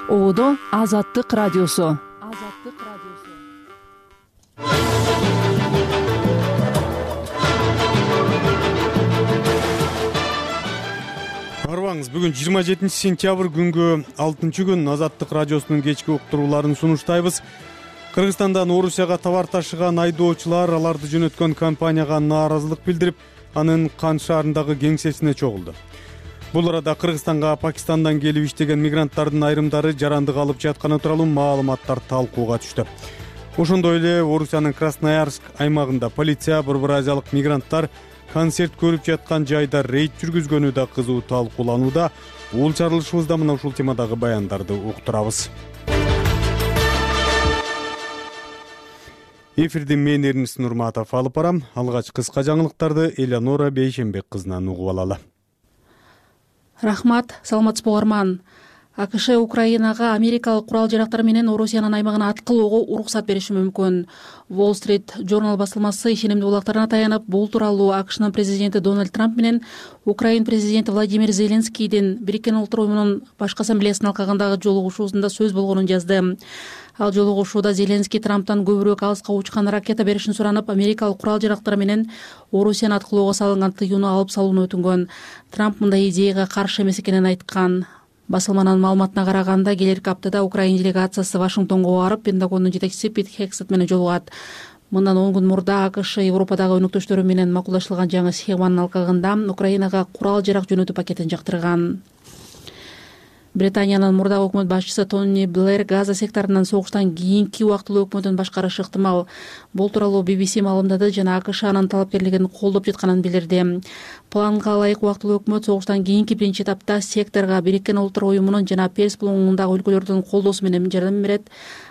Оодо Азаттык радиосу. Арбаңыз, бүгүн 27 сентябрь күнгө 6-күн Азаттык радиосунун кечки уктурууларын сунуштайбыз. Кыргызстандан Орусияга товар ташыган айдоочулар аларды жөнөткөн компанияга нааразылык билдирип, анын Кан шаарындагы кеңсесине чогулду. Бул арада Кыргызстанга Пакистандан келип иштеген мигранттардын айрымдары жарандык алып жатканы тууралуу маалыматтар талкууга түштү. Ошондой эле Орусиянын Красноярск аймагында полиция борбор азиялык мигранттар концерт көрүп жаткан жайда рейд жүргүзгөнү да кызуу талкууланууда. Бул чарылышыбызда мына ушул темадагы баяндарды уктурабыз. Эфирди мен Эрнис Нурматов алып барам. Алгач кыска жаңылыктарды Элеонора Бейшенбек кызынан угуп алалы. Рахмат, саламатсызбы угарман. АКШ Украинага америкалык курал-жарактар менен Орусиянын аймагына аткылоого уруксат бериши мүмкүн. Wall Street Journal басылмасы ишенимдүү булактарына таянып, бул тууралуу АКШнын президенти Дональд Трамп менен Украин президенти Владимир Зеленскийдин Бириккен Улуттар Уюмунун башкы ассамблеясынын алкагындагы жолугушуусунда сөз болгонун жазды. Ал жолугушууда Зеленский Трамптан көбүрөөк алыска учкан ракета беришин суранып, америкалык курал-жарактар менен Орусияны аткылоого салынган тыюуну алып салууну өтүнгөн. Трамп мындай идеяга каршы эмес экенин айткан. Басылманын маалыматына караганда, келерки аптада Украин делегациясы Вашингтонго барып, Пентагондун жетекчиси Пит Хексет менен жолугат. Мындан 10 күн мурда АКШ Европадагы өнөктөштөрү менен макулдашылган жаңы схеманын алкагында Украинага курал-жарак жөнөтүү пакетин жактырган. Британиянын мурдагы өкмөт башчысы Тони Блэр Газа секторунан согуштан кийинки убактылуу өкмөтүн башкарышы ыктымал. Бул тууралуу BBC маалымдады жана АКШ анын талапкерлигин колдоп жатканын билдирди. Планга ылайык убактылуу өкмөт согуштан кийинки биринчи этапта секторго Бириккен Улуттар Уюмунун жана Перс булуңундагы өлкөлөрдүн колдоосу менен жардам берет.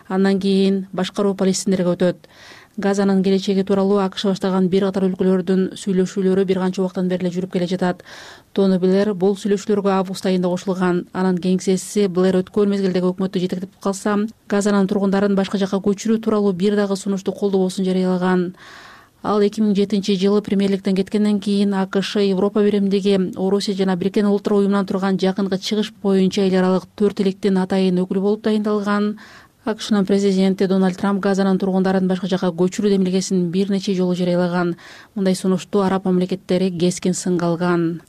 Андан кийин башкаруу Палестиндерге өтөт. Газанын келечеги тууралуу АКШ баштаган бир катар өлкөлөрдүн сөйлөшүүлөрү бир канча убактан бери жүрүп келе жатат. Тони Блэр бул сөйлөшүүлөргө август айында кошулган. Анын кеңсеси Блэр өткөн мезгилдеги өкмөттү жетектеп калса, Газанын тургундарын башка жакка көчүрүү тууралуу бир дагы сунушту колдобосун жарыялаган. Ал 2007-жылы премьерликтен кеткенден кийин АКШ Европа биримдиги Орусия жана Бириккен Улуттар Уюмунан турган жакынкы чыгыш боюнча эл аралык 4 электин атайын өкүлү болуп дайындалган. АКШнын президенти Дональд Трамп Газанын тургундарын башка жакка көчүрүү демилгесин бир нече жолу жарыялаган. Мындай сунушту араб мамлекеттери кескин сынга алган.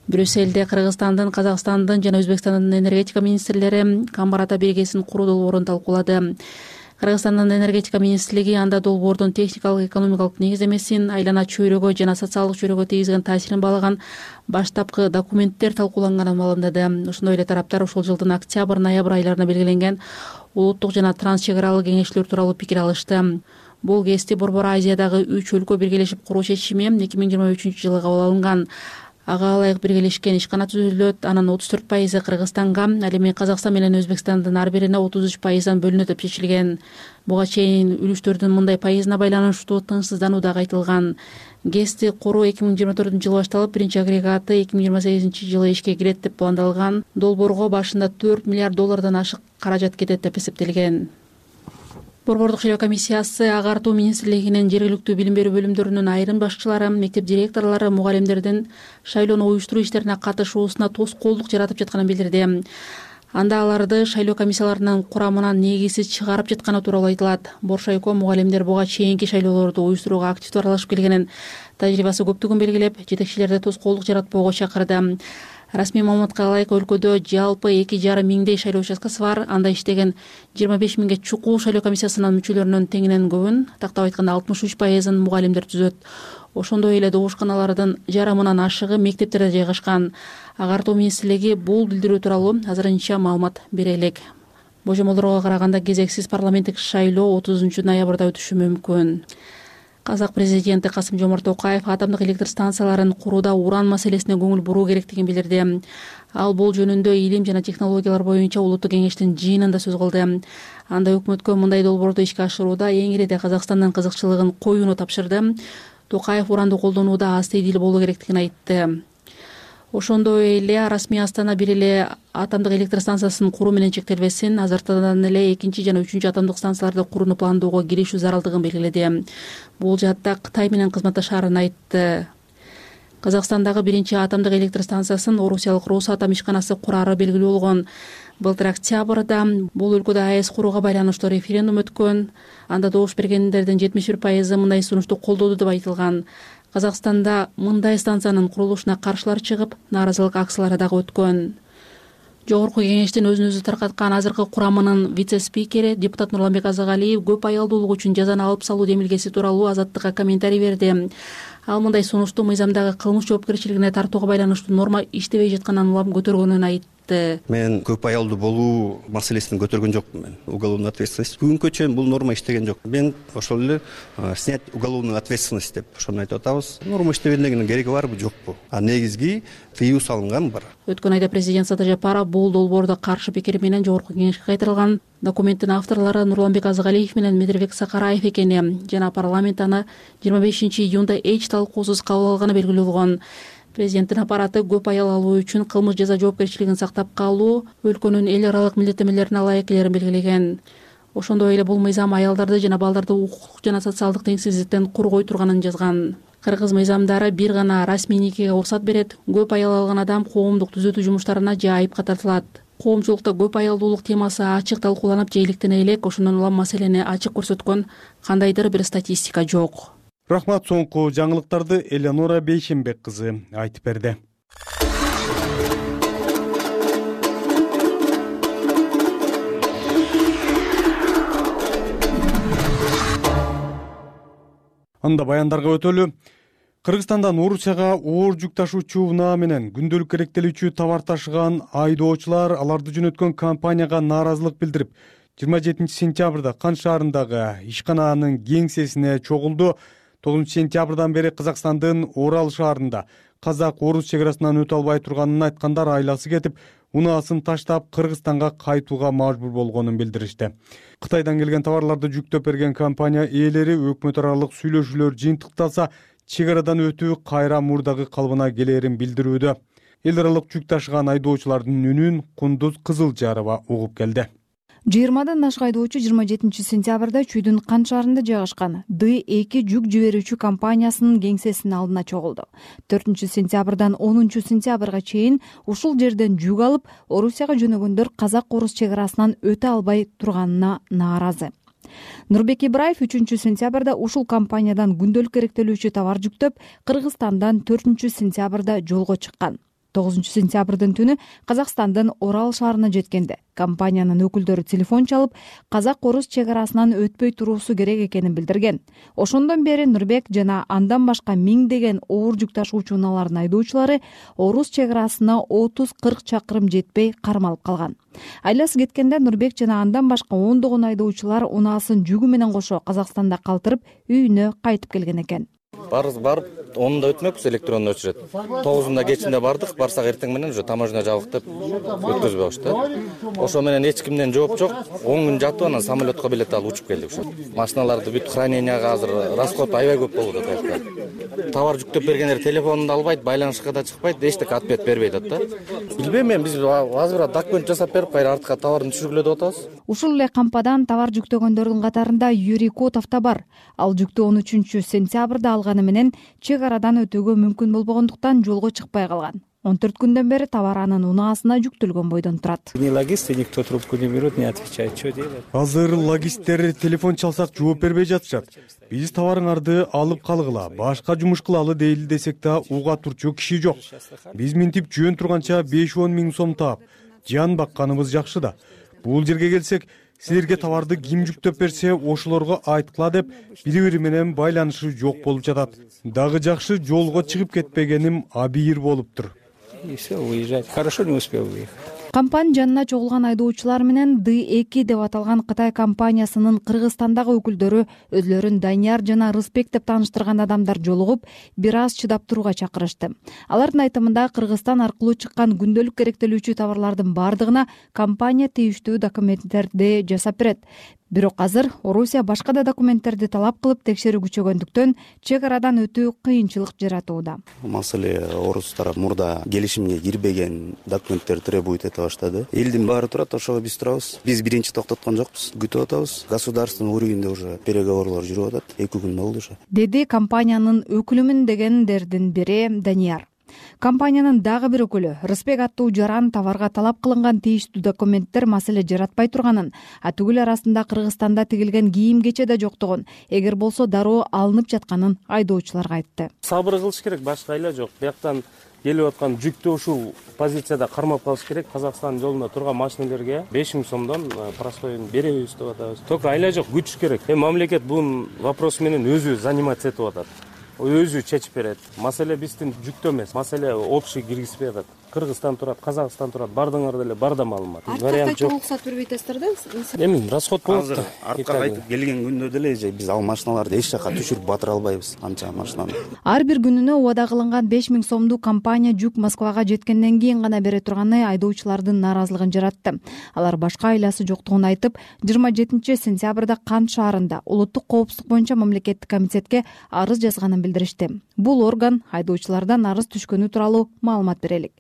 Брюссельде Кыргызстандын, Казакстандын жана Өзбекстандын энергетика министрлери Камбарата биргесин куруу долбоорун талкуулады. Кыргызстандын энергетика министрлиги анда долбоордун техникалык экономикалык негиздемесин, айлана чөйрөгө жана социалдык чөйрөгө тийгизген таасирин баалаган баштапкы документтер талкууланганын маалымдады. Ошондой эле тараптар ушул жылдын октябрь-ноябрь айларына белгиленген улуттук жана транс чек аралык кеңешүүлөр тууралуу пикир алышты. Бул кести Борбор Азиядагы 3 өлкө биргелешип куруу чечими 2023-жылы кабыл алынган. Ага ылайык биргелешкен ишкана түзүлөт. Анын 34% Кыргызстанга, ал эми Казакстан менен Өзбекстандын ар бирине 33%дан бөлүнөт деп чечилген. Буга чейин үлүштөрдүн мындай пайызына байланыштуу тынчсыздануу дагы айтылган. ГЭСти куруу 2024-жылы башталып, биринчи агрегаты 2028-жылы ишке кирет деп пландалган. Долбоорго башында $4 миллиард ашык каражат кетет деп эсептелген. Борбордук шайлоо комиссиясы Агартуу министрлигинин жергиликтүү билим берүү бөлүмдөрүнүн айрым башчылары, мектеп директорлору, мугалимдердин шайлоону уюштуруу иштерине катышуусуна тоскоолдук жаратып жатканын билдирди. Анда аларды шайлоо комиссияларынын курамынан негизсиз чыгарып жатканы тууралуу айтылат. Боршайко мугалимдер буга чейинки шайлоолорду уюштурууга активдүү аралашып келгенин, тажрыйбасы көптүгүн белгилеп, жетекчилерди тоскоолдук жаратпоого чакырды. Расмий маалыматка ылайык өлкөдө жалпы 2,5 миңдей шайлоо участкасы бар. Анда иштеген 25 миңге чукул шайлоо комиссиясынын мүчөлөрүнүн теңинен көбүн, тактап айтканда 63%-ын мугалимдер түзөт. Ошондой эле добушканалардын жарымынан ашыгы мектептерде жайгашкан. Агартуу министрлиги бул билдирүү тууралуу азырынча маалымат бере элек. Божомолдорго караганда кезексиз парламенттик шайлоо 30-ноябрда өтүшү мүмкүн. Казак президенти Касым-Жомарт Токаев атомдук электр станцияларын курууда уран маселесине көңүл буруу керектигин билдирди. Ал бул жөнүндө илим жана технологиялар боюнча улуттук кеңештин жыйынында сөз кылды. Анда өкмөткө мындай долбоорду ишке ашырууда эң ириде Казакстандын кызыкчылыгын коюуну тапшырды. Токаев уранды колдонууда астейдил болуу керектигин айтты. Ошондой эле расмий Астана бир эле атомдук электр станциясын куруу менен чектелбесин, азыртадан эле 2 жана 3 атомдук станцияларды курууну пландоого киришүү зарылдыгын белгиледи. Бул жаатта Кытай менен кызматташаарын айтты. Казакстандагы биринчи атомдук электр станциясын орусиялык Росатом ишканасы курары белгилүү болгон. Былтыр октябрда бул өлкөдө АЭС курууга байланыштуу референдум өткөн. Анда добуш бергендердин 71% мындай сунушту колдоду деп айтылган. Казакстанда мындай станциянын курулушуна каршылар чыгып, нааразылык акциялары дагы өткөн. Жогорку кеңештин өзүн өзү таркаткан азыркы курамынын вице-спикери депутат Нурланбек Азагалиев көп аялдуулук үчүн жазаны алып салуу демилгеси тууралуу Азаттыкка комментарий берди. Ал мындай сунушту мыйзамдагы кылмыш жоопкерчилигине тартууга байланыштуу норма иштебей жатканын улам көтөргөнүн айтты. Мен көп аялдуу болуу маселесин көтөргөн жокмун. Мен уголовный ответственность бүгүнкү чейин бул норма иштеген жок. Мен ошол эле снять уголовную ответственность деп ошону айтып атабыз. Норма иштебегендигинин кереги барбы, жокпу? А негизги тыюу салынган бар. Өткөн айда президент Сата Жапаров бул долбоордо каршы пикир менен жогорку кеңешке кайтарылган. Документтин авторлору Нурланбек Азагалиев менен Медербек Сакараев экени жана парламент аны 25 июнда эч талкуусуз кабыл алганы белгилүү болгон. Президенттин аппараты көп аял алуу үчүн кылмыш жаза жоопкерчилигин сактап калуу өлкөнүн эл аралык милдеттенмелерине ылайык экенин белгилеген. Ошондой эле бул мыйзам аялдарды жана балдарды укуктук жана социалдык теңсиздиктен коргой турганын жазган. Кыргыз мыйзамдары бир гана расмий никеге уруксат берет. Көп аял алган адам коомдук түзөтүү жумуштарына же айыпка тартылат. Коомчулукта көп аялдуулук темасы ачык талкууланып желиктене элек, ошондон улам маселени ачык көрсөткөн кандайдыр бир статистика жок. Рахмат, соңку жаңылыктарды Элеонора Бейшенбек кызы айтып берди. Анда баяндарга өтөлү. Кыргызстандан Орусияга оор жүк ташуучу унаа менен күндөлүк керектелүүчү товар ташыган айдоочулар аларды жөнөткөн компанияга нааразылык билдирип, 27 сентябрда Кан шаарындагы ишканаанын кеңсесине чогулду. 9 сентябрдан бери Казакстандын Орал шаарында казак-орус чек арасынан өтө албай турганын айткандар айласы кетип, унаасын таштап Кыргызстанга кайтууга мажбур болгонун билдиришти. Кытайдан келген товарларды жүктөп берген компания ээлери өкмөт аралык сүйлөшүүлөр жыйынтыкталса, чек арадан өтүү кайра мурдагы калыбына келээрин билдирүүдө. Эл аралык жүк ташыган айдоочулардын үнүн Кундуз Кызылжарова угуп келди. 20дан ашык айдоочу 27 сентябрда Чүйдүн Кан шаарында жайгашкан D2 жүк жиберүүчү компаниясынын кеңсесинин алдына чогулду. 4 сентябрдан 10 сентябрга чейин ушул жерден жүк алып, Орусияга жөнөгөндөр казак-орус чек арасынан өтө албай турганына нааразы. Нурбек Ибраев 3 сентябрда ушул компаниядан күндөлүк керектелүүчү товар жүктөп, Кыргызстандан 4 сентябрда жолго чыккан. 9 сентябрдын түнү Казакстандын Орал шаарына жеткенде компаниянын өкүлдөрү телефон чалып, казак-орус чек арасынан өтпөй туруусу керек экенин билдирген. Ошондон бери Нурбек жана андан башка миңдеген оор жүк ташуучу унаалардын айдоочулары орус чек арасына 30-40 чакырым жетпей кармалып калган. Айласы кеткенде Нурбек жана андан башка ондогон айдоочулар унаасын жүгү менен кошо Казакстанда калтырып, үйүнө кайтып келген экен. Барып, 10-да өтмөкпүз, электронно өчүрөт. 9-да кечинде бардык, барсак эртең менен уже таможня жабык деп өткөзбөй коюшту. Ошо менен эч кимден жооп жок. 10 күн жатып, анан самолетко билет алып учуп келдик ошо. Машиналарды бүт храненияга азыр расход аябай көп болуп атат. Товар жүктөп бергендер телефонун да албайт, байланышка да чыкпайт, эчтеке ответ бербейт да. Билбейм мен, биз азыр документ жасап берип, кайра артка товарын түшүргүлө деп атабыз. Ушул эле кампадан товар жүктөгөндөрдүн катарында Юрий Котов да бар. Ал жүктү 13 сентябрда алганы менен чек арадан өтүүгө мүмкүн болбогондуктан жолго чыкпай калган. 14 күндөн бери товар анын унаасына жүктөлгөн бойдон турат. Ни логисты, никто трубку не берет, не отвечает, что делать. Азыр логисттер телефон чалсак жооп бербей жатышат. Биз товарыңарды алып калгыла, башка жумуш кылалы дейли десек да уга турчу киши жок. Биз минтип жөн турганча 5-10 миң сом таап, жан бакканыбыз жакшы да. Бул жерге келсек, силерге товарды ким жүктөп берсе, ошолорго айткыла деп бири-бири менен байланышы жок болуп жатат. Дагы жакшы жолго чыгып кетпегеним абийир болуптур. И все, уезжать. Хорошо не успел выехать. Кампань жанына чогулган айдоочулар менен D2 деп аталган Кытай компаниясынын Кыргызстандагы өкүлдөрү өзлөрүн Данияр жана Рыспек деп тааныштырган адамдар жолугуп, бир аз чыдап турууга чакырышты. Алардын айтымында Кыргызстан аркылуу чыккан күндөлүк керектелүүчү товарлардын бардыгына компания тийиштүү документтерди жасап берет. Бирок азыр Орусия башка да документтерди талап кылып текшерүү күчөгөндүктөн чек арадан өтүү кыйынчылык жаратууда. Маселе орус тарап мурда келишимге кирбеген документтер требует эте баштады. Элдин баары турат, ошого биз турабыз. Биз биринчи токтоткон жокпуз, күтүп атабыз. Государственный уровеньде уже переговорлор жүрүп атат. 2 күн болду уже. Деди компаниянын өкүлүмүн дегендердин бири Данияр. Компаниянын дагы бир өкүлү Рысбек аттуу жаран товарга талап кылынган тийиштүү документтер маселе жаратпай турганын, түгүл арасында Кыргызстанда тигилген кийим кече да жоктугун, эгер болсо дароо алынып жатканын айдоочуларга айтты. Сабыр кылыш керек, башка айла жок. Бияктан келип аткан жүктү ушул позицияда кармап калыш керек. Казакстандын жолунда турган машинелерге 5000 сомдон простоюн беребиз деп атабыз. Только айла жок, күтүш керек. Мамлекет бул вопрос менен өзү заниматься этип атат. Өзү чечип берет. Маселе биздин жүктө эмес, маселе общий киргизбей атат. Кыргызстан турат, Казакстан турат, бардыңар деле барда маалымат. Вариант жок. Уруксат бербейт атасыздар да? Эми расход болот да. Артка кайтып келген күндө деле биз ал машиналарды эч жака түшүрүп батыра албайбыз. Анча машинаны. Ар бир күнүнө убада кылынган 5000 сомдуу компания жүк Москвага жеткенден кийин гана бере турганы айдоочулардын нааразылыгын жаратты. Алар башка айласы жоктугун айтып, 27 сентябрда Кант шаарында улуттук коопсуздук боюнча мамлекеттик комитетке арыз жазганын билдиришти. Бул орган айдоочулардан арыз түшкөнү тууралуу маалымат берелик.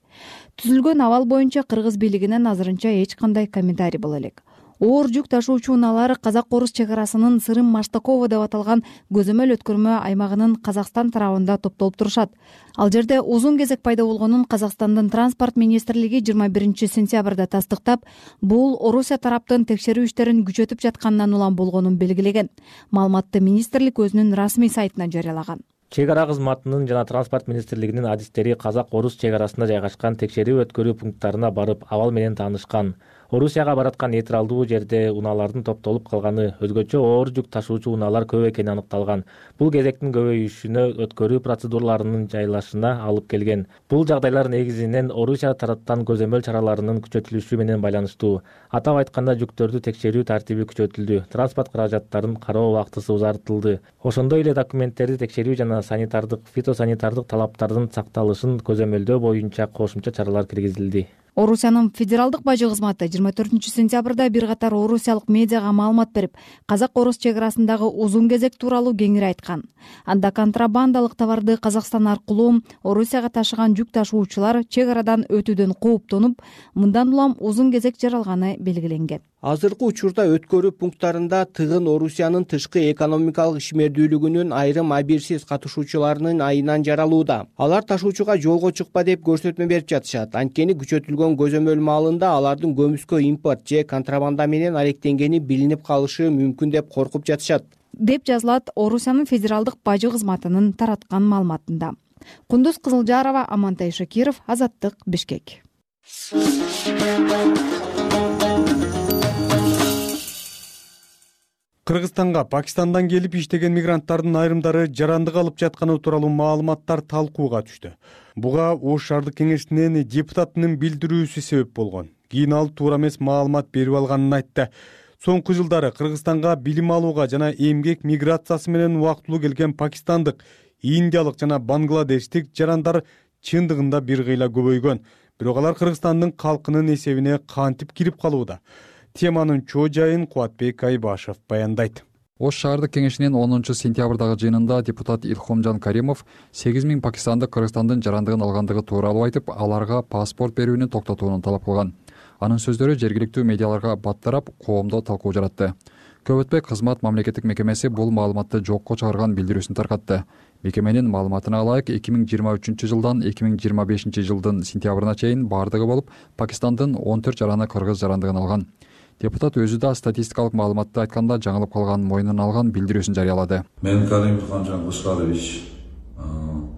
Түзүлгөн абал боюнча кыргыз бийлигинен азырынча эч кандай комментарий боло элек. Оор жүк ташуучу унаалар Казак-Орус чек арасынын Сырым Маштакова деп аталган көзөмөл өткөрмө аймагынын Казакстан тарабында топтолуп турушат. Ал жерде узун кезек пайда болгонун Казакстандын транспорт министрлиги 21 сентябрда тастыктап, бул Орусия тараптын текшерүү иштерин күчөтүп жатканынан улам болгонун белгилеген. Маалыматты министрлик өзүнүн расмий сайтына жарыялаган. Чек ара кызматынын жана транспорт министрлигинин адистери Казак-Орус чек арасында жайгашкан текшерүү өткөрүү пункттарына барып абал менен таанышкан. Орусияга бараткан нейтралдуу жерде унаалардын топтолуп калганы, өзгөчө оор жүк ташуучу унаалар көп экени аныкталган. Бул кезектин көбөйүшүнө өткөрүү процедураларынын жайылышына алып келген. Бул жагдайлар негизинен Орусия тараптан көзөмөл чараларынын күчөтүлүшү менен байланыштуу. Атап айтканда, жүктөрдү текшерүү тартиби күчөтүлдү, транспорт каражаттарын кароо убактысы узартылды. Ошондой эле документтерди текшерүү жана санитардык, фитосанитардык талаптардын сакталышын көзөмөлдөө боюнча кошумча чаралар киргизилди. Орусиянын федералдык бажы кызматы 24 сентябрда бир катар орусиялык медиага маалымат берип, Казак-Орус чек арасындагы узун кезек тууралуу кеңири айткан. Анда контрабандалык товарды Казакстан аркылуу Орусияга ташыган жүк ташуучулар чек арадан өтүүдөн кооптонуп, мындан улам узун кезек жаралганы белгиленген. Азыркы учурда өткөрүү пункттарында тыгын Орусиянын тышкы экономикалык ишмердүүлүгүнүн айрым абийирсиз катышуучуларынын айынан жаралууда. Алар ташуучуга жолго чыкпа деп көрсөтмө берип жатышат. Анткени күчөтүлгөн көзөмөл маалында алардын көмүскө импорт же контрабанда менен алектенгени билинип калышы мүмкүн деп коркуп жатышат, деп жазылат Орусиянын федералдык бажы кызматынын тараткан маалыматында. Кундуз Кызылжарова, Амантай Шакиров, Азаттык, Бишкек. Кыргызстанга Пакистандан келип иштеген мигранттардын айрымдары жарандык алып жатканы тууралуу маалыматтар талкууга түштү. Буга Ош шаардык кеңешинин депутатынын билдирүүсү себеп болгон. Кийин ал туура эмес маалымат берип алганын айтты. Соңку жылдары Кыргызстанга билим алууга жана эмгек миграциясы менен убактылуу келген пакистандык, индиялык жана бангладештик жарандар чындыгында бир кыйла көбөйгөн. Бирок алар Кыргызстандын калкынын эсебине кантип кирип калууда? Теманын чоо жайын Кубатбек Айбашев баяндайт. Ош шаардык кеңешинин 10 сентябрдагы жыйынында депутат Илхомжан Каримов 8000 пакистандык Кыргызстандын жарандыгын алгандыгы тууралуу айтып, аларга паспорт берүүнү токтотууну талап кылган. Анын сөздөрү жергиликтүү медиаларга баттарап, коомдо талкуу жаратты. Көп өтпөй кызмат мамлекеттик мекемеси бул маалыматты жокко чыгарган билдирүүсүн таркатты. Мекеменин маалыматына ылайык 2023 жылдан 2025 жылдын сентябрына чейин бардыгы болуп, Пакистандын 14 жараны кыргыз жарандыгын алган. Депутат өзү да статистикалык маалыматты айтканда жаңылып калганын мойнуна алган билдирүүсүн жарыялады. Мен Каримов Илхомжан Кушкарович,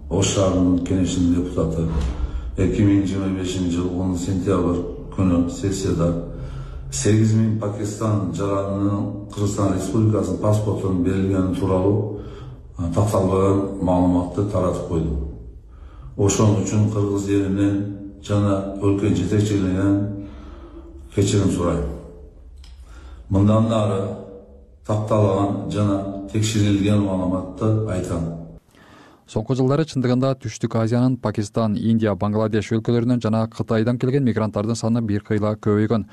Ош шаарынын кеңешинин депутаты, 2025 жыл 10 сентябрь күнү сессияда 8000 Пакистан жаранынын Кыргызстан Республикасынын паспортунун берилгени тууралуу такталбаган маалыматты таратып койдум. Ошон үчүн кыргыз элинен жана өлкө жетекчилигинен кечирим сурайм. Мындан ары такталган жана текшерилген маалыматты айтам. Соңку жылдары чындыгында Түштүк Азиянын Пакистан, Индия, Бангладеш өлкөлөрүнөн жана Кытайдан келген мигранттардын саны бир кыйла көбөйгөн.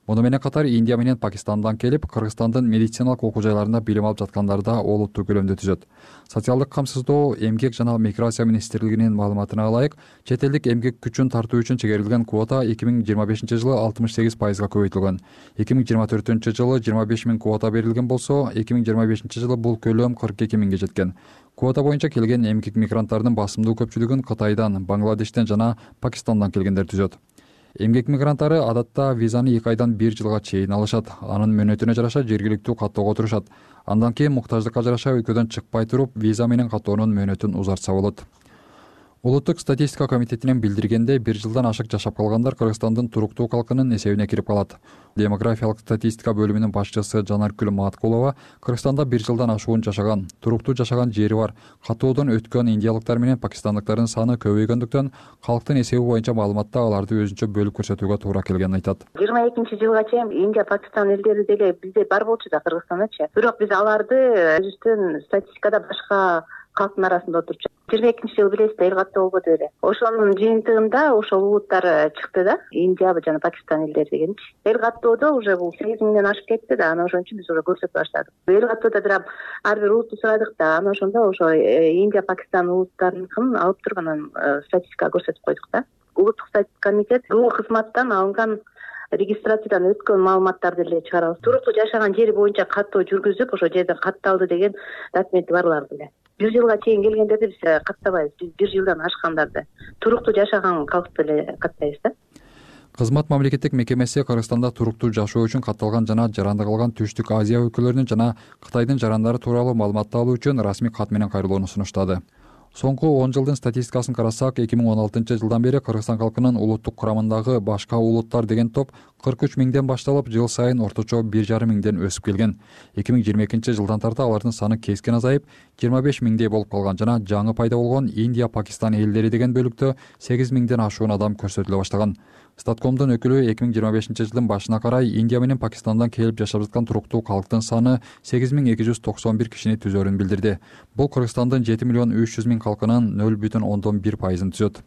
Муну менен катар Индия менен Пакистандан келип, Кыргызстандын медициналык окуу жайларында билим алып жаткандар да олуттуу көлөмдө түзөт. Социалдык камсыздоо, эмгек жана миграция министрлигинин маалыматына ылайык, чет элдик эмгек күчүн тартуу үчүн чегерилген квота 2025 жылы 68%га көбөйтүлгөн. 2024 жылы 25 000 квота берилген болсо, 2025 жылы бул көлөм 42 000ге жеткен. Квота боюнча келген эмгек мигранттардын басымдуу көпчүлүгүн Кытайдан, Бангладештен жана Пакистандан келгендер түзөт. Эмгек мигранттары адатта визаны 2 айдан 1 жылга чейин алышат. Анын мөөнөтүнө жараша жергиликтүү каттоого турушат. Андан кийин муктаждыкка жараша өлкөдөн чыкпай туруп, виза менен каттоонун мөөнөтүн узартса болот. Улуттук статистика комитетинен билдиргенде, 1 жылдан ашык жашап калгандар Кыргызстандын туруктуу калкынын эсебине кирип калат. Демографиялык статистика бөлүмүнүн башчысы Жанаркүл Маткулова Кыргызстанда 1 жылдан ашуун жашаган, туруктуу жашаган жери бар, каттоодон өткөн индиялыктар менен пакистандыктардын саны көбөйгөндүктөн калктын эсеби боюнча маалыматта аларды өзүнчө бөлүп көрсөтүүгө туура келгенин айтат. 22-жылга чейин Индия, Пакистан элдери деле бизде бар болчу да Кыргызстандачы. Бирок биз аларды өзүбүздүн статистикада башка калктын арасында отурчу. 22-жыл билесиз эл каттоо болбоду эле. Ошонун жыйынтыгында ошол улуттар чыкты да. Индия жана Пакистан элдери дегенчи. Эл каттоодо уже бул 8 миңден ашып кетти да. Анан ошон үчүн биз уже көрсөтө баштадык. Эл каттоодо бирок ар бир улутту сурадык да. Анан ошондо ошо Индия, Пакистан улуттарыныкын алып туруп анан статистикага көрсөтүп койдук да. Улуттук статистика комитет бул кызматтан алынган регистрациядан өткөн маалыматтарды эле чыгарабыз. Туруктуу жашаган жери боюнча каттоо жүргүзүп, ошо жерден катталды деген документи барларды эле. 1 жылга чейин келгендерди биз каттабайбыз. Биз 1 жылдан ашкандарды, туруктуу жашаган калкты эле каттайбыз да. Кызмат мамлекеттик мекемеси Кыргызстанда туруктуу жашоо үчүн катталган жана жаранды калган Түштүк Азия өлкөлөрүнүн жана Кытайдын жарандары тууралуу маалыматты алуу үчүн расмий кат менен кайрылууну сунуштады. Соңку 10 жылдын статистикасын карасак, 2016-жылдан бери Кыргызстан калкынын улуттук курамындагы башка улуттар деген топ 43 миңден башталып, жыл сайын орточо 1,5 миңден өсүп келген. 2022-жылдан тарта алардын саны кескин азайып, 25 миңдей болуп калган жана жаңы пайда болгон Индия, Пакистан элдери деген бөлүктө 8 миңден ашуун адам көрсөтүлө баштаган. Статкомдун өкүлү 2025-жылдын башына карай Индия менен Пакистандан келип жашап жаткан туруктуу калктын саны 8291 кишини түзөрүн билдирди. Бул Кыргызстандын 7,3 миллион калкынын 0,1% түзөт.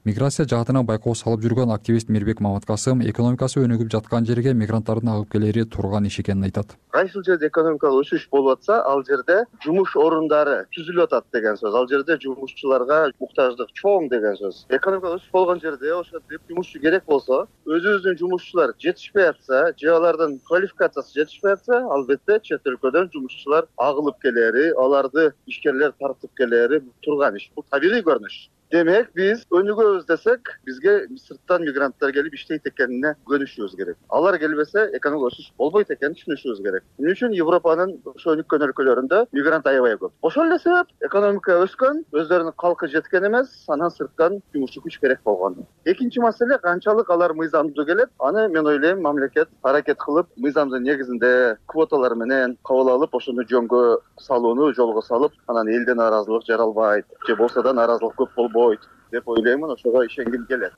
Миграция жаатына байкоо салып жүргөн активист Мирбек Маматкасым экономикасы өнүгүп жаткан жерге мигранттардын агып келери турган иш экенин айтат. Кайсыл жерде экономикалык өсүш болуп атса, ал жерде жумуш орундары түзүлүп атат деген сөз. Ал жерде жумушчуларга муктаждык чоң деген сөз. Экономикалык өсүш болгон жерде ошентип жумушчу керек болсо, өзүбүздүн жумушчулар жетишпей атса, же алардын квалификациясы жетишпей атса, албетте чет өлкөдөн жумушчулар агылып келери, аларды ишкерлер тартып келери турган иш. Бул табигый көрүнүш. Демек, биз өнүгөбүз десек, бизге сырттан мигранттар келип иштейт экенине көнүшүбүз керек. Алар келбесе, экономикалык өсүш болбойт экенин түшүнүшүбүз керек. Эмне үчүн Европанын ошо өнүккөн өлкөлөрүндө мигрант аябай көп. Ошол эле себеп экономика өскөн, өздөрүнүн калкы жеткен эмес, анан сырттан жумушчу күч керек болгон. Экинчи маселе, канчалык алар мыйзамдуу келет, аны мен ойлойм мамлекет аракет кылып, мыйзамдын негизинде квоталар менен кабыл алып, ошону жөнгө салууну жолго салып, анан элден наразылык жаралбайт, же болсо да наразылык көп болбойт деп ойлоймун, ошого ишенгим келет.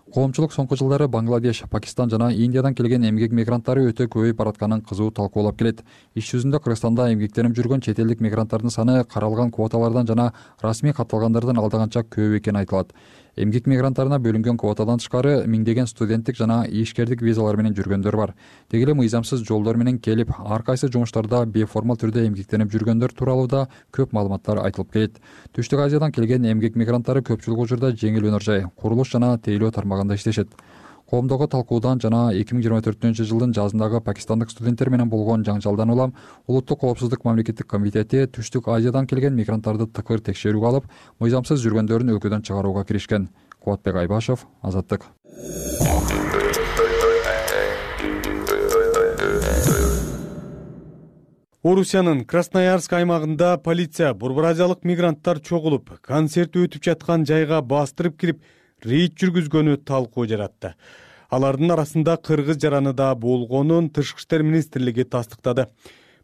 Коомчулук соңку жылдары Бангладеш, Пакистан жана Индиядан келген эмгек мигранттары өтө көбөйүп баратканын кызуу талкуулап келет. Иш жүзүндө Кыргызстанда эмгектенип жүргөн чет элдик мигранттардын саны каралган квоталардан жана расмий катталгандардан алдаганча көп экени айтылат. Эмгек мигранттарына бөлүнгөн квотадан тышкары миңдеген студенттик жана ишкердик визалар менен жүргөндөр бар. Деги эле мыйзамсыз жолдор менен келип, ар кайсы жумуштарда бейформал түрдө эмгектенип жүргөндөр тууралуу да көп маалыматтар айтылып келет. Түштүк Азиядан келген эмгек мигранттары көпчүлүк учурда жеңил өнөр жай, курулуш жана тейлөө тармагында иштешет. Коомдогу талкуудан жана 2024-жылдын жазындагы пакистандык студенттер менен болгон жаңжалдан улам Улуттук коопсуздук мамлекеттик комитети Түштүк Азиядан келген мигранттарды тыкыр текшерүүгө алып, мыйзамсыз жүргөндөрүн өлкөдөн чыгарууга киришкен. Кубатбек Айбашев, Азаттык. Орусиянын Красноярск аймагында полиция бурбуразиялык мигранттар чогулуп, концерт өтүп жаткан жайга бастырып кирип, рейд жүргүзгөнү талкуу жаратты. Алардын арасында кыргыз жараны да болгонун Тышкы иштер министрлиги тастыктады.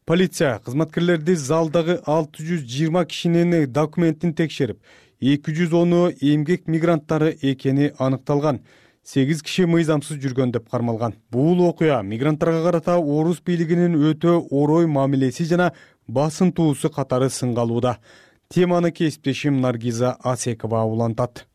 Полиция кызматкерлерди залдагы 620 кишинин документин текшерип, 210-у эмгек мигранттары экени аныкталган. 8 киши мыйзамсыз жүргөн деп кармалган. Бул окуя мигранттарга карата орус бийлигинин өтө орой мамилеси жана басынтуусу катары сынга алууда. Теманы кесиптешим Наргиза Асекова улантат.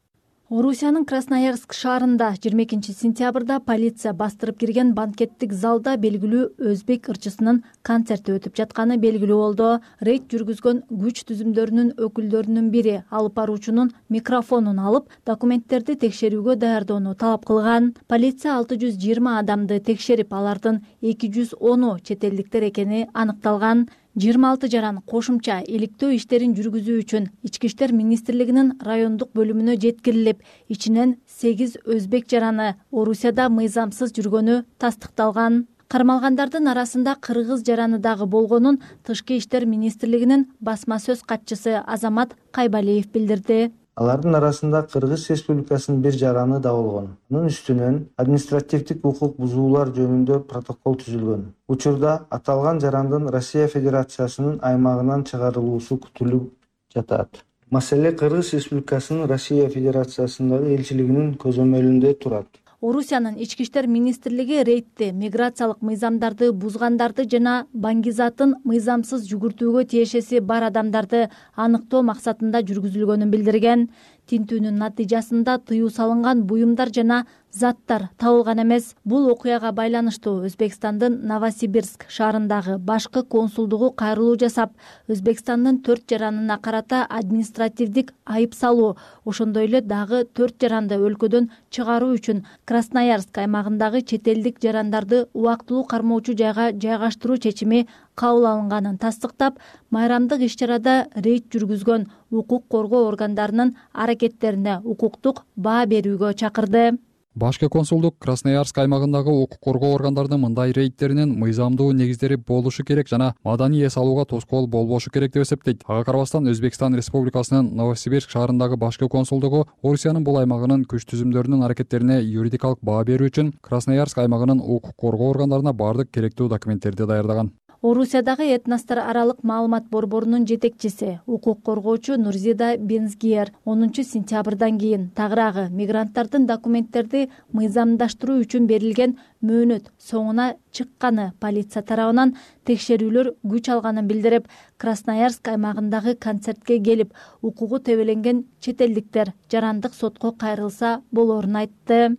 Орусиянын Красноярск шаарында 22-сентябрда полиция бастырып кирген банкеттик залда белгилүү өзбек ырчысынын концерти өтүп жатканы белгилүү болду. Рейд жүргүзгөн күч түзүмдөрүнүн өкүлдөрүнүн бири алып баруучунун микрофонун алып, документтерди текшерүүгө даярдоону талап кылган. Полиция 620 адамды текшерип, алардын 210-у чет элдиктер экени аныкталган. 26 жаран кошумча иликтөө иштерин жүргүзүү үчүн Ички иштер министрлигинин райондук бөлүмүнө жеткирилип, ичинен 8 өзбек жараны Орусияда мыйзамсыз жүргөнү тастыкталган. Кармалгандардын арасында кыргыз жараны дагы болгонун Тышкы иштер министрлигинин басма сөз катчысы Азамат Кайбалиев билдирди. Алардын арасында Кыргыз Республикасынын бир жараны да болгон. Анын үстүнөн административдик укук бузуулар жөнүндө протокол түзүлгөн. Учурда аталган жарандын Россия Федерациясынын аймагынан чыгарылуусу күтүлүп жатат. Маселе Кыргыз Республикасынын Россия Федерациясындагы элчилигинин көзөмөлүндө турат. Орусиянын Ички иштер министрлиги рейдти миграциялык мыйзамдарды бузгандарды жана баңгизатын мыйзамсыз жүгүртүүгө тиешеси бар адамдарды аныктоо максатында жүргүзүлгөнүн билдирген. Тинтүүнүн натыйжасында тыюу салынган буюмдар жана заттар табылган эмес. Бул окуяга байланыштуу Өзбекстандын Новосибирск шаарындагы башкы консулдугу кайрылуу жасап, Өзбекстандын 4 жаранына карата административдик айып салуу, ошондой эле дагы 4 жаранды өлкөдөн чыгаруу үчүн Красноярск аймагындагы чет элдик жарандарды убактылуу кармоочу жайга жайгаштыруу чечими кабыл алынганын тастыктап, майрамдык иш-чарада рейд жүргүзгөн укук коргоо органдарынын аракеттерине укуктук баа берүүгө чакырды. Башкы консулдук Красноярск аймагындагы укук коргоо органдарынын мындай рейдтеринин мыйзамдуу негиздери болушу керек жана маданий эс алууга тоскоол болбошу керек деп эсептейт. Ага карабастан Өзбекстан Республикасынын Новосибирск шаарындагы башкы консулдугу Орусиянын бул аймагынын күч түзүмдөрүнүн аракеттерине юридикалык баа берүү үчүн Красноярск аймагынын укук коргоо органдарына бардык керектүү документтерди даярдаган. Орусиядагы этностор аралык маалымат борборунун жетекчиси, укук коргоочу Нурзида Бензгиер 10 сентябрдан кийин тагыраагы мигранттардын документтерди мыйзамдаштыруу үчүн берилген мөөнөт соңуна чыкканы полиция тарабынан текшерүүлөр күч алганын билдирип, Красноярск аймагындагы концертке келип, укугу тебеленген чет элдиктер жарандык сотко кайрылса болоорун айтты.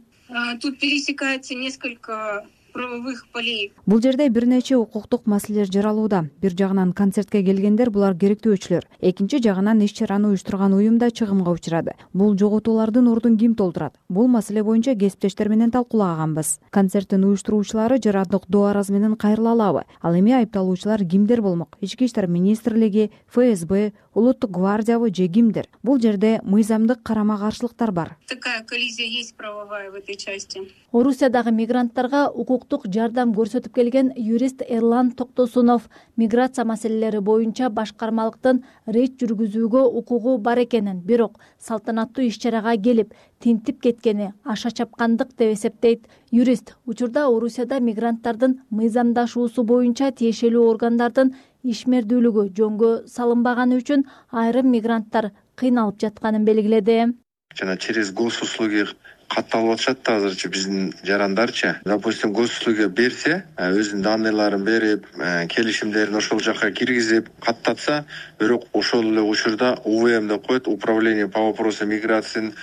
Тут пересекается несколько правовых полей. Бул жерде бир нече укуктук маселелер жаралууда. Бир жагынан концертке келгендер булар керектөөчүлөр. Экинчи жагынан иш-чараны уюштурган уюм да чыгымга учурады. Бул жоготуулардын ордун ким толтурат? Бул маселе боюнча кесиптештер менен талкуулаганбыз. Концерттин уюштуруучулары жарандык доо арызы менен кайрыла алабы? Ал эми айыпталуучулар кимдер болмок? Ички иштер министрлиги, ФСБ, улуттук гвардиябы же кимдер? Бул жерде мыйзамдык карама-каршылыктар бар. Такая коллизия есть правовая в этой части. Орусиядагы мигранттарга укуктук жардам көрсөтүп келген юрист Эрлан Токтосунов миграция маселелери боюнча башкармалыктын рейд жүргүзүүгө укугу бар экенин, бирок салтанаттуу иш-чарага келип тинтип кеткени аша чапкандык деп эсептейт. Юрист учурда Орусияда мигранттардын мыйзамдашуусу боюнча тиешелүү органдардын ишмердүүлүгү жөнгө салынбаганы үчүн айрым мигранттар кыйналып жатканын белгиледи. Жана через госуслуги катталып атышат да азырчы биздин жарандарчы. Допустим, госуслуга берсе, өзүнүн данныйларын берип, келишимдерин ошол жака киргизип, каттатса, бирок ошол эле учурда УВМ деп коет, управление по вопросам миграциянын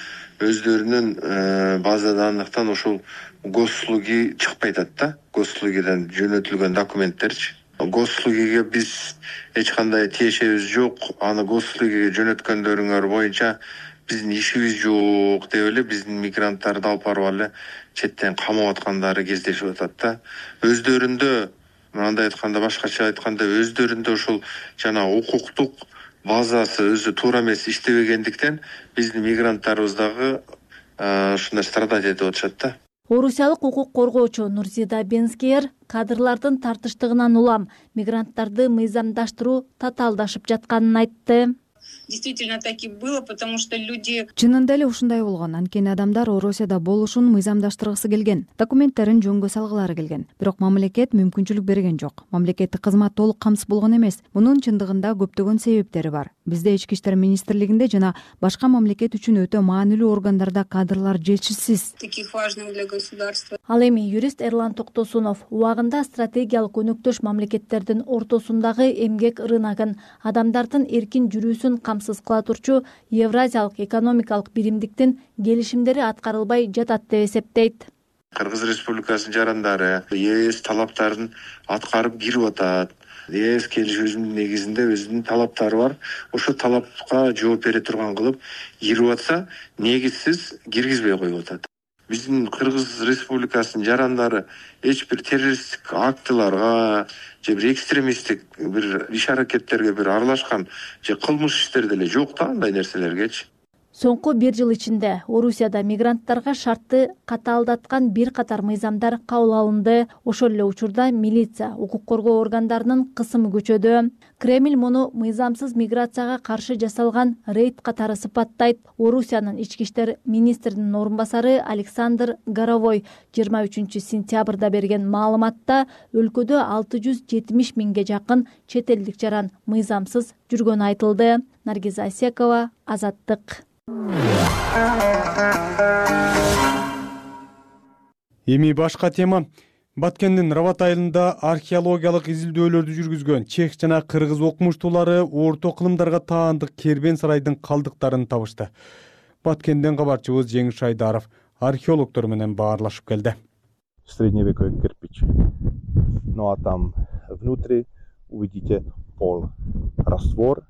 өздөрүнүн база данныктан ошол госуслуги чыкпай атат да. Госуслугидан жөнөтүлгөн документтерчи. Госуслугиге биз эч кандай тиешебиз жок. Аны госуслугиге жөнөткөндөрүңөр боюнча биздин ишибиз жок деп эле биздин мигранттарды алып барып эле четтен камап аткандары кездешип атат да. Өздөрүндө, мындай айтканда, башкача айтканда, өздөрүндө ошол жана укуктук базасы өзү туура эмес иштебегендиктен биздин мигранттарыбыз дагы ушундай страдать этип атышат да. Орусиялык укук коргоочу Нурзида Бензгиер кадрлардын тартыштыгынан улам мигранттарды мыйзамдаштыруу татаалдашып жатканын айтты. Действительно так и было, потому что люди... Чынында эле ушундай болгон. Анткени адамдар Орусияда болушун мыйзамдаштыргысы келген, документтерин жөнгө салгылары келген. Бирок мамлекет мүмкүнчүлүк берген жок. Мамлекеттик кызмат толук камсыз болгон эмес. Мунун чындыгында көптөгөн себептери бар. Бизде Ички иштер министрлигинде жана башка мамлекет үчүн өтө маанилүү органдарда кадрлар жетишсиз. Таких важных для государства. Ал эми юрист Эрлан Токтосунов убагында стратегиялык өнөктөш мамлекеттердин ортосундагы эмгек рыногун, адамдардын эркин жүрүүсүн камсыз кыла турчу Евразиялык экономикалык биримдиктин келишимдери аткарылбай жатат деп эсептейт. Кыргыз Республикасынын жарандары ЕС талаптарын аткарып кирип атат. ЕС келишүүсүнүн негизинде өзүнүн талаптары бар. Ошол талапка жооп бере турган кылып кирип атса, негизсиз киргизбей коюп атат. биздин Кыргыз Республикасынын жарандары эч бир террористтик актыларга же бир экстремисттик бир иш аракеттерге бир аралашкан же кылмыш иштер деле жок да андай нерселергечи. Соңку 1 жыл ичинде Орусияда мигранттарга шартты катаалдаткан бир катар мыйзамдар кабыл алынды. Ошол эле учурда милиция, укук коргоо органдарынын кысымы күчөдү. Кремль муну мыйзамсыз миграцияга каршы жасалган рейд катары сыпаттайт. Орусиянын ички иштер министринин орун басары Александр Горовой 23-сентябрда берген маалыматта өлкөдө 670 миңге жакын чет элдик жаран мыйзамсыз жүргөнү айтылды. Наргиза Асекова, Азаттык. Эми башка тема. Баткендин Рават айылында археологиялык изилдөөлөрдү жүргүзгөн чех жана кыргыз окумуштуулары орто кылымдарга таандык Кербен сарайдын калдыктарын табышты. Баткенден кабарчыбыз Жеңиш Айдаров археологдор менен баарлашып келди. Средневековый кирпич. Ну а там внутри увидите пол, раствор,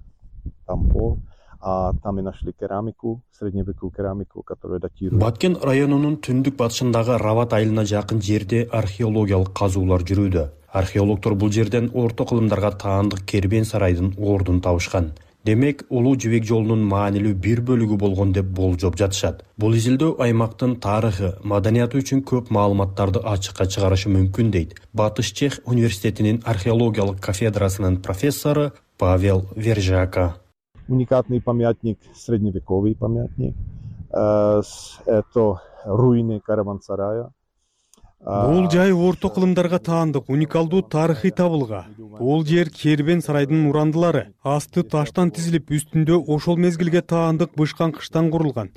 там пол. А там и нашли керамику, средневековую керамику, которая датирует. Баткен районунун түндүк батышындагы Рават айылына жакын жерде археологиялык казуулар жүрүүдө. Археологдор бул жерден орто кылымдарга таандык Кербен сарайдын ордун табышкан. Демек, Улуу Жибек жолунун маанилүү бир бөлүгү болгон деп болжоп жатышат. Бул изилдөө аймактын тарыхы, маданияты үчүн көп маалыматтарды ачыкка чыгарышы мүмкүн дейт Батыш Чех университетинин археологиялык кафедрасынын профессору Павел Вержака. Уникальный памятник, средневековый памятник. Это руины караван-сарая. Бул жай орто кылымдарга таандык уникалдуу тарыхый табылга. Бул жер Кербен сарайдын урандылары. Асты таштан тизилип, үстүндө ошол мезгилге таандык бышкан кыштан курулган.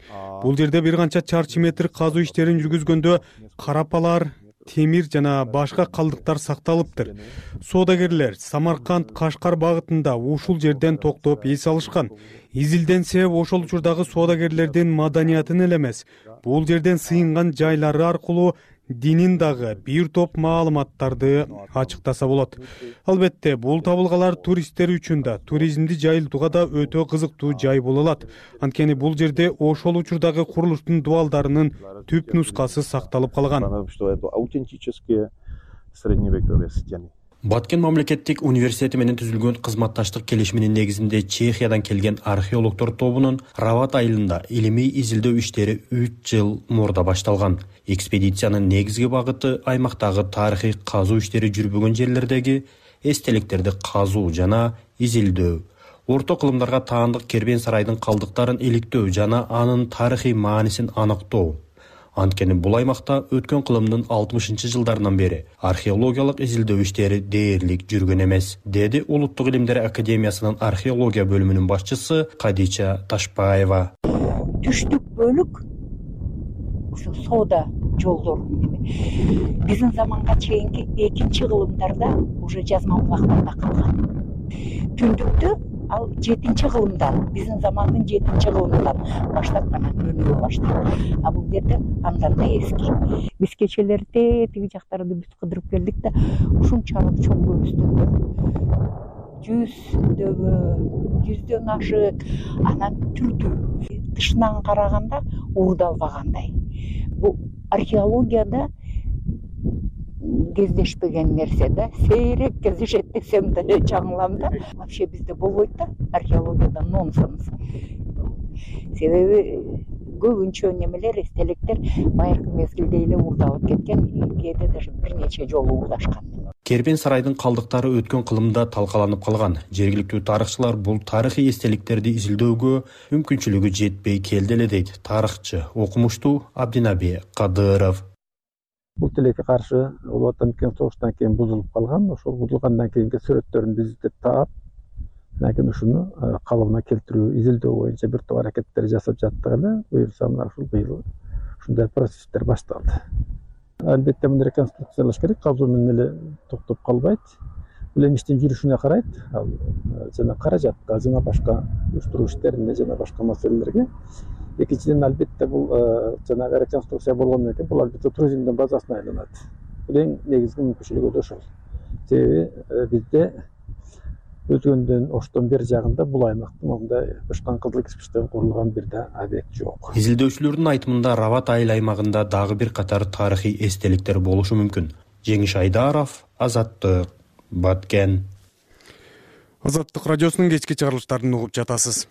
Бул жерде бир канча чарчы метр казуу иштерин жүргүзгөндө карапалар, темир жана башка калдыктар сакталыптыр. Соодагерлер Самарканд, Кашкар багытында ушул жерден токтоп эс алышкан. Изилденсе, ошол учурдагы соодагерлердин маданиятын эле эмес, бул жерден сыйынган жайлары аркылуу динин дагы бир топ маалыматтарды ачыктаса болот. Албетте, бул табылгалар туристтер үчүн да, туризмди жайылтууга да өтө кызыктуу жай боло алат. Анткени бул жерде ошол учурдагы курулуштун дубалдарынын түп нускасы сакталып калган. Баткен мамлекеттик университети менен түзүлгөн кызматташтык келишиминин негизинде Чехиядан келген археологдор тобунун Рават айылында илимий изилдөө иштери 3 жыл мурда башталган. Экспедициянын негизги багыты аймактагы тарыхый казуу иштери жүрбөгөн жерлердеги эстеликтерди казуу жана изилдөө. Орто кылымдарга таандык Кербен сарайдын калдыктарын иликтөө жана анын тарыхый маанисин аныктоо. Анткени бул аймакта өткөн кылымдын 60-жылдарынан бери археологиялык изилдөө иштери дээрлик жүргөн эмес, деди Улуттук илимдер академиясынын археология бөлүмүнүн башчысы Кадича Ташпаева. Түштүк бөлүк ушул соода жолдор биздин заманга чейинки 2-кылымдарда уже жазма булактарда калган. Түндүктө ал 7-кылымдан, биздин замандын 7-кылымынан баштап гана көрүнө баштады. А бул жерде андан да эски. Биз кечелерде тиги жактарды бүт кыдырып келдик да, ушунчалык чоң көбүстөндө 100дөн ашык, анан түрдүү. Тышынан караганда уурдалбагандай. Бул археологияда кездешпеген нерсе да, сейрек кездешет десем деле жаңылам да. Вообще бизде болбойт да, археологияда нонсенс. Себеби көбүнчө немелер, эстеликтер байыркы мезгилде эле уурдалып кеткен, кээде даже бир нече жолу уурдашкан. Кербен сарайдын калдыктары өткөн кылымда талкаланып калган. Жергиликтүү тарыхчылар бул тарыхый эстеликтерди изилдөөгө мүмкүнчүлүгү жетпей келди эле дейт тарыхчы, окумуштуу Абдинаби Кадыров. Бул тилекке каршы Улуу Отан согуштан кийин бузулуп калган. Ошол бузулгандан кийинки сүрөттөрүн биз издеп таап, анан ушуну калыбына келтирүү, изилдөө боюнча бир топ аракеттер жасап жаттык эле. Буюрса мына ушул быйыл ушундай процесстер башталды. Албетте муну реконструкциялаш керек, казуу менен эле токтоп калбайт. Бул эми иштин жүрүшүнө карайт. Ал жана каражатка, жана башка уюштуруу иштерине, жана башка маселелерге. Экинчиден, албетте бул жанагы реконструкция болгондон кийин бул албетте туризмдин базасына айланат. Бул эң негизги мүмкүнчүлүгү да ошол. Себеби бизде өзгөндөн оштон бери жагында бул аймакта мындай учкан кызыл кирпичтен курулган бир да объект жок. Изилдөөчүлөрдүн айтымында Рават айыл аймагында дагы бир катар тарыхый эстеликтер болушу мүмкүн. Жеңиш Айдаров, Азаттык, Баткен. Азаттык радиосунун кечки чыгарылыштарын угуп жатасыз.